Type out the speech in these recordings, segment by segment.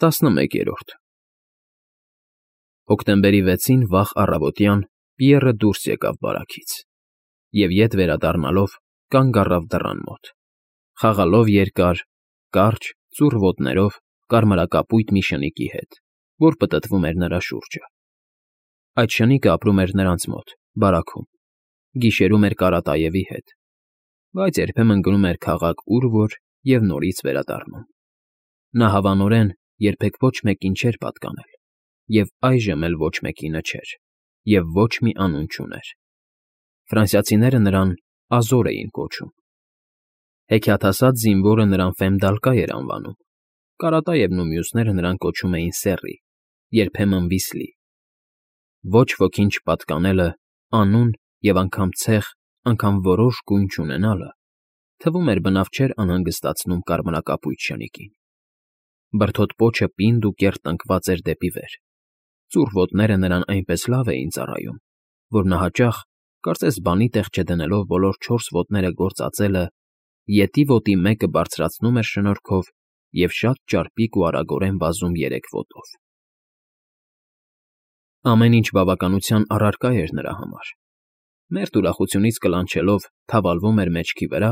11-րդ Հոկտեմբերի 6-ին վաղ առավոտյան Պիեռը դուրս եկավ բարաքից և ետ վերադառնալով կանգ առավ դռան մոտ, խաղալով երկար, կարճ, ծուռ ոտներով կարմրակապույտ մի շնիկի հետ, որ պտտվում էր նրա շուրջը։ Այդ շնիկը ապրում էր նրանց մոտ, բարաքում, գիշերում էր Կարատաևի հետ, բայց երբեմն գնում էր քաղաք ուր֊որ և նորից վերադառնում։ Նա հավանորեն երբեք ոչ մեկին չէր պատկանել, և այժմ էլ ոչ մեկինը չէր, և ոչ մի անուն չուներ։ Ֆրանսիացիները նրան Ազոր էին կոչում։ Հեքիաթասաց զինվորը նրան Ֆեմդալկա էր անվանում, Կարատաևն ու մյուսները նրան կոչում էին Սեռի, երբեմն Վիսլի։ Ոչ ոքին չպատկանելը, անուն և անգամ ցեղ, անգամ որոշ գույն չունենալը, թվում էր բնավ չէր անհանգստացնում կարմրակապույտ շնիկին։ Բրդոտ պոչը պինդ ու կեռ տնկված էր դեպի վեր, ծուռ ոտները նրան այնպես լավ էին ծառայում, որ նա հաճախ, կարծես բանի տեղ չդնելով բոլոր 4 ոտները գործածելը, ետի ոտի մեկը բարձրացնում էր շնորհքով և շատ ճարպիկ ու արագորեն վազում 3 ոտով։ Ամեն ինչ բավականության առարկա էր նրա համար։ Մերթ ուրախությունից կլանչելով թավալվում էր մեջքի վրա,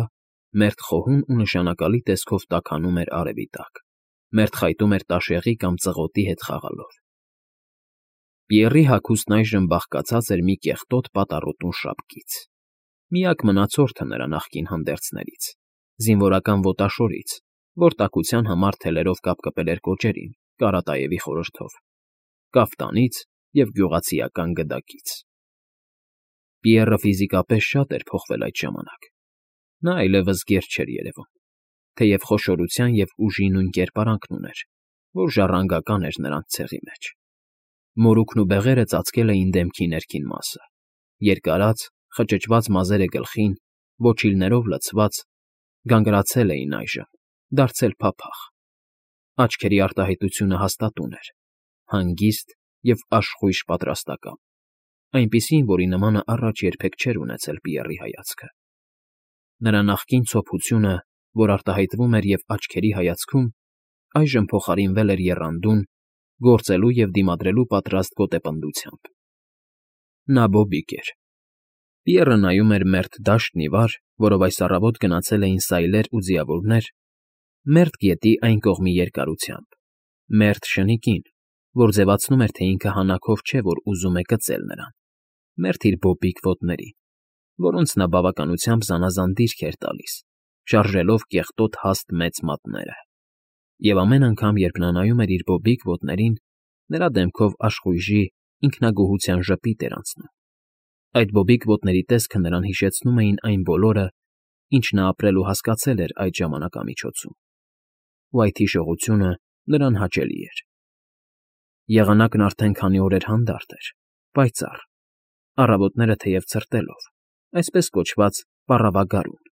մերթ խոհուն ու նշանակալի տեսքով տաքանում էր արևի տակ, մերթ խայտում էր տաշեղի կամ ծղոտի հետ խաղալով։ Պիեռի հագուստն այժմ բաղկացած էր մի կեղտոտ պատառոտուն շապկից, միակ մնացորդը նրա նախկին հանդերձներից, զինվորական ոտաշորից, որ տաքության համար թելերով կապկպել էր կոճերին Կարատաևի խորհրդով, կաֆտանից և գյուղացիական գդակից։ Պիեռը ֆիզիկապես շատ էր փոխվել այդ ժամանակ։ Նա այլևս գեր չէր երևում, թեև խոշորության և ուժի նույն կերպարանքն ուներ, որ ժառանգական էր նրանց ցեղի մեջ։ Մորուքն ու բեղերը ծածկել էին դեմքի ներքին մասը, երկարած, խճճված մազերը գլխին, ոչիլներով լցված, գանգրացել էին այժմ, դարձել փափախ։ Աչքերի արտահայտությունը հաստատուն էր, հանգիստ և աշխույժ պատրաստակամ, այնպիսին, որի նմանը առաջ երբեք չէր ունեցել Պիեռի հայացքը։ Նրա նախկին ցոփությունը, որ արտահայտվում էր և աչքերի հայացքում, այժմ փոխարինվել էր եռանդուն, գործելու և դիմադրելու պատրաստ գոտեպնդությամբ։ Նա բոբիկ էր։ Պիեռը նայում էր մերթ դաշտն ի վար, որով այս առավոտ գնացել էին սայլեր ու ձիավորներ, մերթ գետի այն կողմի երկարությամբ, մերթ շնիկին, որ ձևացնում էր, թե ինքը հանաքով չէ, որ ուզում է կծել նրան, մերթ իր բոբիկ ոտներին, որոնց նա բավականությամբ զանազան դիրք էր տալիս, շարժելով կեղտոտ հաստ մեծ մատները։ Եվ ամեն անգամ, երբ նա նայում էր իր բոբիկ ոտներին, նրա դեմքով աշխույժի, ինքնագոհության ժպիտ էր անցնում։ Այդ բոբիկ ոտների տեսքը նրան հիշեցնում էին այն բոլորը, ինչ նա ապրել ու հասկացել էր այդ ժամանակամիջոցում, ու այդ հիշողությունը նրան հաճելի էր։ Եղանակն արդեն քանի օր էր հանդարտ էր, պայծառ, առավոտները թեև ցրտելով, այսպես կոչված պառավագարուն։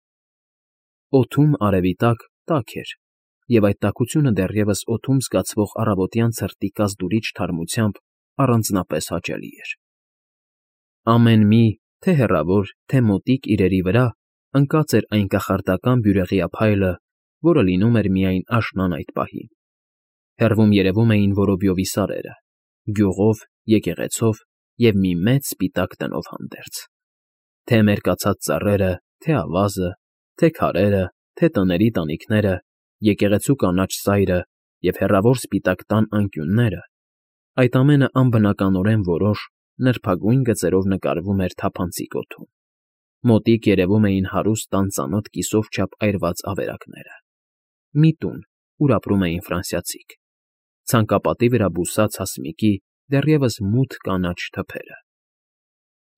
Օդում արևի տակ էր, և այդ տաքությունը դեռևս օդում զգացվող առավոտյան ցրտի կազդուրիչ թարմությամբ առանձնապես հաճելի էր։ Ամեն մի, թե հեռավոր, թե մոտիկ իրերի վրա ընկած էր այն կախարդական բյուրեղյա փայլը, որը լինում էր միայն աշնան այդ պահին։ Հեռվում երևում էին որոբյովի սարերը, գյուղով, եկեղեցով և մի մեծ սպիտակ տնով հանդերձ։ Թե մերկացած ծառերը, թե ավազը, թե քարերը, թե տների տանիքները, եկեղեցու կանաչ սայրը և հեռավոր սպիտակ տան անկյունները, այդ ամենը անբնականորեն որոշ, նրբագույն գծերով նկարվում էր թափանցիկ օդում։ Մոտիկ երևում էին հարուստ տան ծանոթ կիսով չափ այրված ավերակները։ Մի տուն, ուր ապրում էին ֆրանսիացիք, ցանկապատի վրա բուսած հասմիկի դեռևս մութ կանաչ թփերը։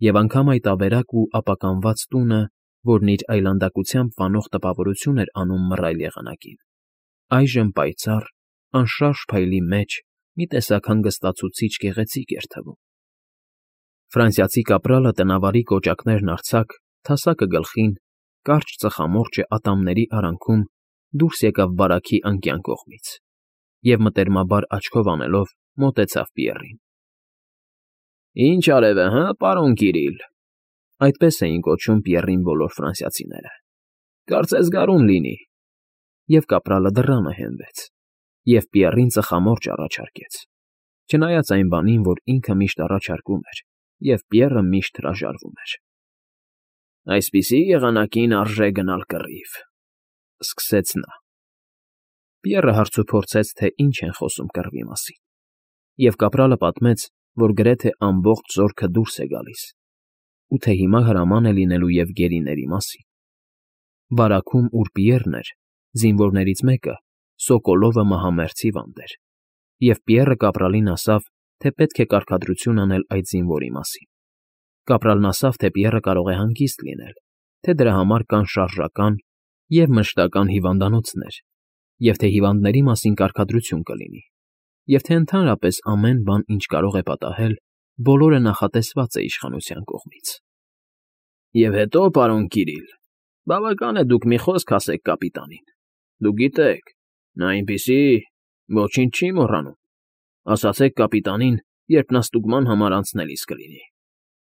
Եվ անգամ այդ ավերակ ու ապականված տունը, որն իր այլանդակությամբ վանող տպավորություն էր անում մռայլ եղանակին, այժմ պայծառ, անշարժ փայլի մեջ մի տեսակ հանգստացուցիչ գեղեցիկ էր թվում։ Ֆրանսիացի կապրալը տնավարի կոճակներն արձակ, թասակը գլխին, կարճ ծխամորճը ատամների արանքում դուրս եկավ բարաքի անկյան կողմից և մտերմաբար աչքով անելով մոտեցավ Պիեռին։ ֊ Ի՞նչ արև է, հը, պարոն Կիրիլ, այդպես էին կոչում Պիեռին բոլոր ֆրանսիացիները։ Կարծես գարուն լինի։ Եվ կապրալը դռանը հենվեց, Եվ Պիեռին ծխամորճ առաջարկեց, չնայած այն բանին, որ ինքը միշտ առաջարկում էր, և Պիեռը միշտ հրաժարվում էր։ «Այսպիսի եղանակին արժե գնալ կռիվ,֊ սկսեց նա։ Պիեռը հարցուփորձեց, թե ինչ են խոսում կռվի մասին, և կապրալը պատմեց, որ գրեթե ամբողջ զորքը դուրս է գալիս, ու թե հիմա հրաման է լինելու և գերիների մասին։ Բարաքում, ուր Պիեռն էր, զինվորներից մեկը, Սոկոլովը մահամերձ հիվանդ էր, և Պիեռը կապրալին ասավ, թե պետք է կարգադրություն անել այդ զինվորի մասին։ Կապրալն ասավ, թե Պիեռը կարող է հանգիստ լինել, թե դրա համար կան շարժական և մշտական հիվանդանոցներ, և թե հիվանդների մասին կարգադրություն կլինի, և թե ընդհանրապես ամեն բան, ինչ կարող է պատահել, բոլորը նախատեսված է իշխանության կողմից։ «Եվ հետո, պարոն Կիրիլ, բավական է դուք մի խոսք ասեք կապիտանին։ Դուք գիտեք, նա այնպիսի… ոչինչ չի մոռանում։ Ասացեք կապիտանին, երբ նա ստուգման համար անցնելիս կլինի.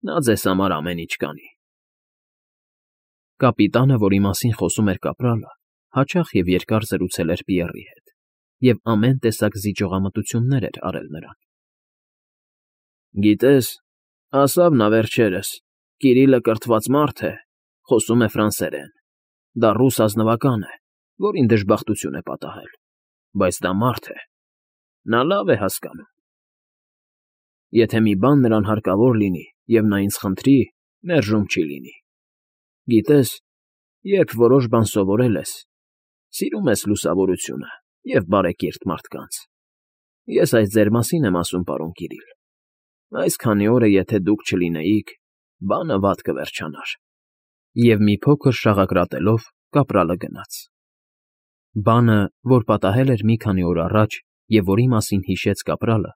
նա ձեզ համար ամեն ինչ կանի»։ Կապիտանը, որի մասին խոսում էր կապրալը, հաճախ և երկար զրուցել էր Պիեռի հետ և ամեն տեսակ զիջողամտություններ էր արել նրան։ «Գիտես, ասավ նա վերջերս, Կիրիլը կրթված մարդ է, խոսում է ֆրանսերեն, դա ռուս ազնվական է, որին դժբախտություն է պատահել, բայց դա մարդ է, նա լավ է հասկանում։ Եթե մի բան նրան հարկավոր լինի, և նա ինձ խնդրի, մերժում չի լինի։ Գիտես, երբ որոշ բան սովորել ես, սիրում ես լուսավորությունը և բարեկիրթ մարդկանց։ Ես այս ձեր մասին եմ ասում, պարոն Կիրիլ։ Այս քանի օրը եթե դուք չլինեիք, բանը վատ կվերջանար։ Եվ մի փոքր շաղակրատելով կապրալը գնաց։ Բանը, որ պատահել էր մի քանի օր առաջ և որի մասին հիշեց կապրալը,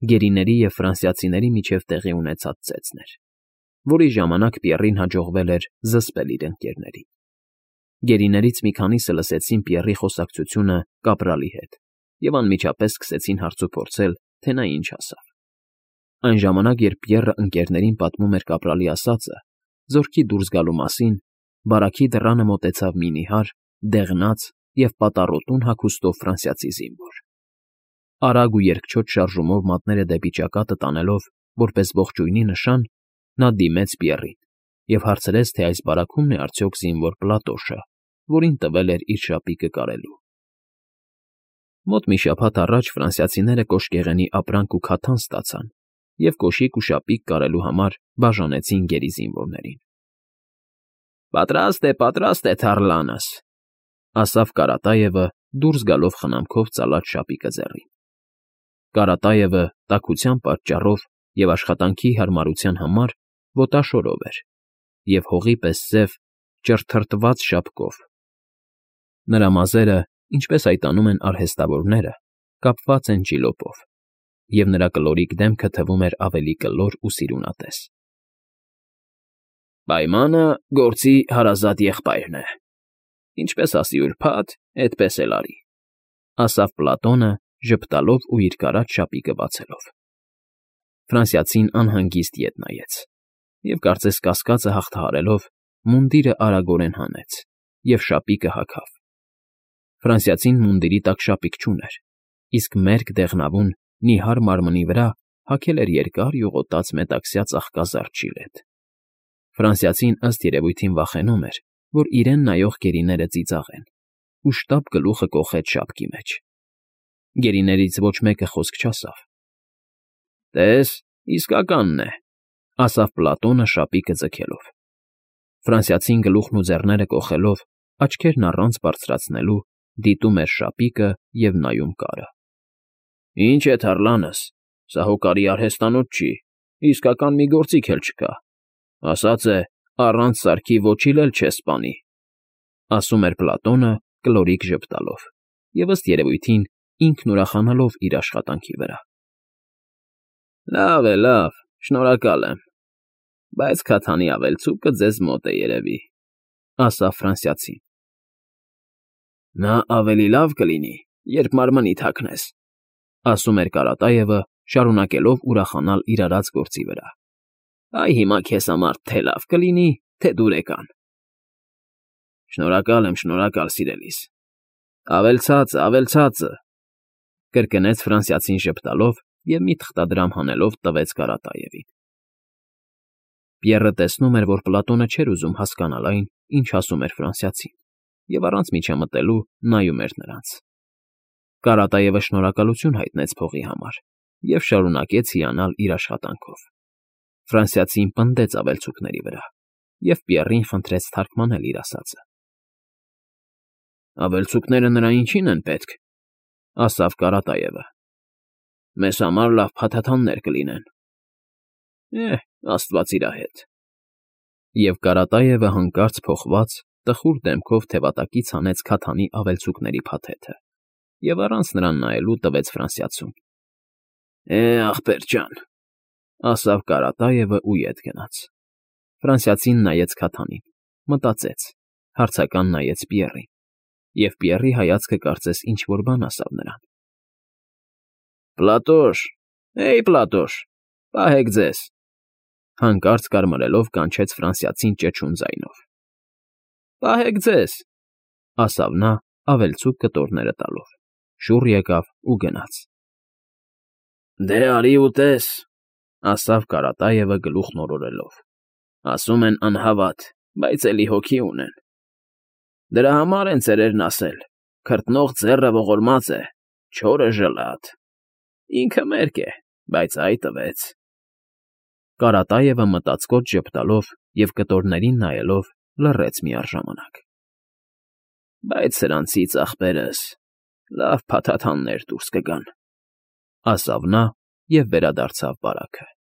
գերիների և ֆրանսիացիների միջև տեղի ունեցած ծեծն էր, որի ժամանակ Պիեռին հաջողվել էր զսպել իր ընկերներին։ Գերիներից մի քանիսը լսեցին Պիեռի խոսակցությունը կապրալի հետ և անմիջապես սկսեցին հարցուփորձել, թե նա ինչ ասավ։ Այն ժամանակ, երբ Պիեռը ընկերներին պատմում էր կապրալի ասածը, զորքի դուրս գալու մասին, բարաքի դռանը մոտեցավ մի նիհար, դեղնած և պատառոտուն հագուստով ֆրանսիացի զինվոր։ Արագ ու երկչոտ շարժումով մատները դեպի ճակատը տանելով, որպես ողջույնի նշան, նա դիմեց Պիեռին և հարցրեց, թե այս բարաքումն է արդյոք զինվոր Պլատոշը, որին տվել էր իր շապիկը կարելու։ Մոտ մի շաբաթ առաջ ֆրանսիացիները կոշկեղենի ապրանք ու քաթան ստացան և կոշիկ ու շապիկ կարելու համար բաժանեցին գերի զինվորներին։ Պատրաստ է թառլանս,֊ ասավ Կարատաևը, դուրս գալով խնամքով ծալած շապիկը ձեռին։ Կարատաևը տաքության պատճառով և աշխատանքի հարմարության համար ոտաշորով էր և հողի պես սև, ճռթռթված շապկով։ Նրա մազերը, ինչպես այտանում են արհեստավորները, կապված են ճիլոպով, և նրա կլորիկ դեմքը թվում էր ավելի կլոր ու սիրունատես։ «Պայմանը գործի հարազատ եղբայրն է. ինչպես ասի ուրբաթ, էդպես էլ արի,֊ ասավ Պլատոնը, ժպտալով ու իր կարած շապիկը բացելով։ Ֆրանսիացին անհանգիստ ետ նայեց և, կարծես կասկածը հաղթահարելով, մունդիրը արագորեն հանեց և շապիկը հագավ։ Ֆրանսիացին մունդիրի տակ շապիկ չուներ, իսկ մերկ դեղնավուն, նիհար մարմնի վրա հագել էր երկար յուղոտած մետաքսյա ծաղկազարդ ժիլետ։ Ֆրանսիացին ըստ երևույթին վախենում էր, որ իրեն նայող գերիները ծիծաղեն, ու շտապ գլուխը կոխեց շապկի մեջ։ Գերիներից ոչ մեկը խոսք չասավ։ «Տես, իսկականն է,֊ ասավ Պլատոնը շապիկը ձգելով։ Ֆրանսիացին գլուխն ու ձեռները կոխելով, աչքերն առանց բարձրացնելու, դիտում էր շապիկը և նայում կարը։ Ինչ է թառլանս, սա հոկարի արհեստանոց չի, իսկական մի գործիք էլ չկա։ Ասած է, առանց սարքի ոչիլ էլ չես սպանի,֊ ասում էր Պլատոնը կլորիկ ժպտալով և, ըստ երևույթին, ինքն ուրախանալով իր աշխատանքի վրա։ Լավ, շնորհակալ եմ, բայց քաթանի ավելցուկը ձեզ մոտ է երևի,֊ ասավ ֆրանսիացին։ Նա ավելի լավ կլինի, երբ մարմնիդ հագնես,֊ ասում էր Կարատաևը, շարունակելով ուրախանալ իր արած գործի վրա։ Այ հիմա քեզ համար թե լավ կլինի, թե դուրեկան։ Շնորհակալ եմ, սիրելիս։ Ավելցածը, Կրկնեց ֆրանսիացին ժպտալով և մի թղթադրամ հանելով տվեց Կարատաևին։ Պիեռը տեսնում էր, որ Պլատոնը չէր ուզում հասկանալ այն, ինչ ասում էր ֆրանսիացին, և առանց միջամտելու նայում էր նրանց։ Կարատաևը շնորհակալություն հայտնեց փողի համար և շարունակեց հիանալ իր աշխատանքով։ Ֆրանսիացին պնդեց ավելցուկների վրա, և Պիեռին խնդրեց թարգմանել իր ասածը։ «Ավելցուկները նրա ինչի՞ն են պետք,֊ ասավ Կարատաևը։ Մեզ համար լավ փաթաթաններ կլինեն»։ Աստված իրա հետ։ Եվ Կարատաևը հանկարծ փոխված, տխուր դեմքով թևատակից հանեց քաթանի ավելցուկների փաթեթը և առանց նրան նայելու տվեց ֆրանսիացուն։ Ախպեր ջան,֊ ասավ Կարատաևը ու ետ գնաց։ Ֆրանսիացին նայեց քաթանին, մտածեց, հարցական նայեց Պիեռին, և Պիեռի հայացքը կարծես ինչ֊որ բան ասավ նրան։ Պլատոշ, Պլատոշ, պահեք ձեզ,֊ հանկարծ կարմրելով կանչեց ֆրանսիացին ճչուն ձայնով։ Պահեք ձեզ,֊ ասավ նա ավելցուկ կտորները տալով, շուռ եկավ ու գնաց։ Դե արի ու տես,֊ ասավ Կարատաևը գլուխն օրորելով։ Ասում են անհավատ, բայց էլի հոգի ունեն։ Դրա համար են ծերերն ասել. «Քրտնող ձեռը ողորմած է, չորը ժլատ»։ Ինքը մերկ է, բայց ա՛յ տվեց։ Կարատաևը մտածկոտ ժպտալով և կտորներին նայելով լռեց միառժամանակ։ Բայց սրանցից, ախպերս, լավ փաթաթաններ դուրս կգան,֊ ասավ նա և վերադարձավ բարակը։